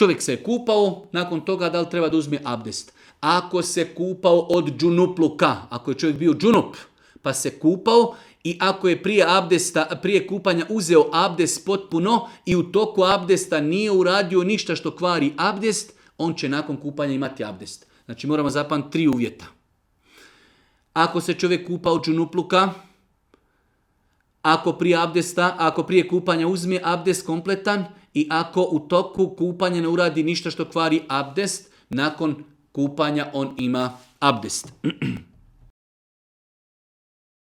Čovjek se je kupao, nakon toga da li treba da uzme abdest? Ako se kupao od džunupluka, ako je čovjek bio džunup, pa se kupao i ako je prije kupanja uzeo abdest potpuno i u toku abdesta nije uradio ništa što kvari abdest, on će nakon kupanja imati abdest. Znači moramo zapamtiti 3 uvjeta. Ako se čovjek kupa od džunupluka, ako prije kupanja uzme abdest kompletan i ako u toku kupanja ne uradi ništa što kvari abdest, nakon kupanja on ima abdest.